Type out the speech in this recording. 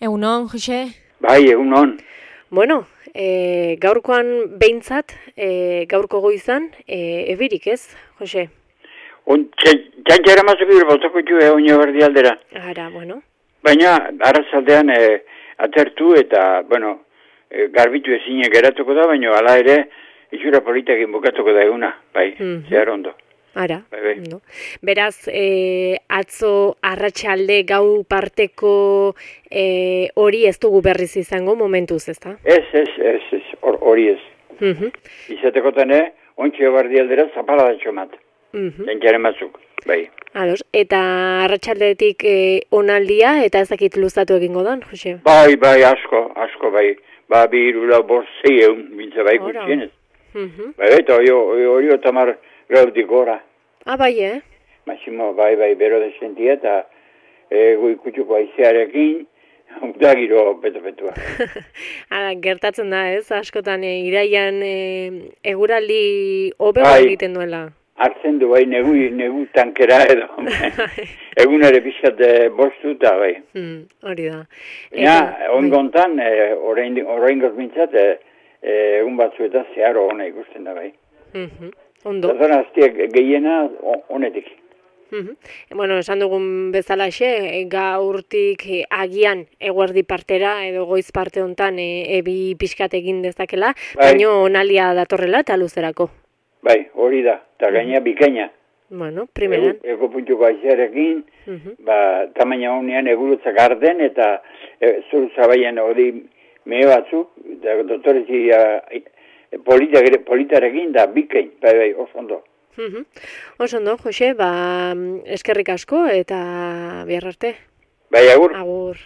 Egunon, Jose? Bai, egunon. Bueno, gaurkoan behintzat, gaurko goizan, ebirik ez, Jose? Txantxara mazuk ibir botako txue oino berdi aldera. Ara, bueno. Baina, arrazaldean atertu eta, garbitu ezine geratuko da, baina hala ere, itxura politakin bukatuko da eguna, bai, zehar ondo. Ara, bai. No. Beraz, atzo arratsalde gau parteko hori ez dugu berriz izango momentuz, ezta? Ez, hori ez. Izatekotan, ontxio berdi aldera zapala da txomat. Txantxara mazuk, bai. Ados, eta arratsaldetik onaldia eta ez dakit luzatu egingo dan, Jose? Bai, asko, bai. Ba, bi irula borzei egun, bintza bai gutxienez. Bai, eta hori otamar gaudik gora. Ah, bai, Massimo, bai, bero desentia eta goikutxuko aizearekin, da giro beto-betua. Gertatzen da, ez? Askotan iraian eguraldi hobe egiten duela. Hartzen du, bai, negu tankera edo. Egunare pixat bostu eta, bai. Hori da. Ongontan, orain gozmintzat, egun batzu eta zeharo hona ikusten da, bai. Ondo. Zazan aztiak gehiena honetik. Bueno, esan dugun bezalaxe, gaurtik agian eguerdi partera edo goiz parte hontan ebi pixkat egin dezakela, baino onalia datorrela eta luzerako. Bai, hori da, eta gaina bikaina. Bueno, primeran. Ego puntuko aizearekin, tamaina honean egurutzak arden eta zuru zabaian hori mehe batzuk, doktorezi politarekin da bikain, bai, oso ondo. Oso ondo, Jose, eskerrik asko eta bihar arte. Bai, agur. Agur.